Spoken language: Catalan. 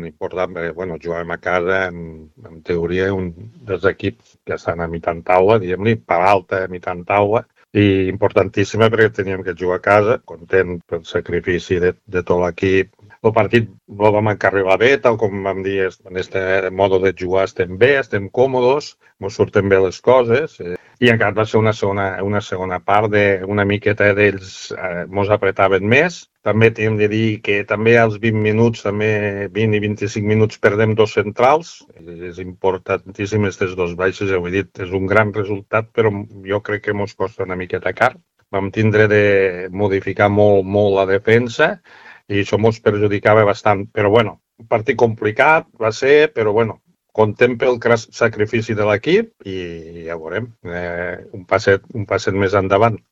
important, perquè jugàvem a casa, en teoria, un dels equips que estan a mitjan taula, diguem-li, per alta a mitjan taula, i importantíssima perquè teníem que jugar a casa, content pel sacrifici de tot l'equip. El partit el vam encarrilar bé, tal com vam dir, en aquest modo de jugar estem bé, estem còmodes, ens surten bé les coses, i encara va ser una segona part d'una miqueta d'ells ens apretaven més. També hem de dir que també als 20 minuts, també 20 i 25 minuts, perdem dos centrals. És importantíssim aquestes dos baixes, ja ho he dit, és un gran resultat, però jo crec que ens costa una miqueta car. Vam tindre de modificar molt la defensa i això ens perjudicava bastant. Però un partit complicat va ser, però content pel sacrifici de l'equip i ja veurem, un passet més endavant.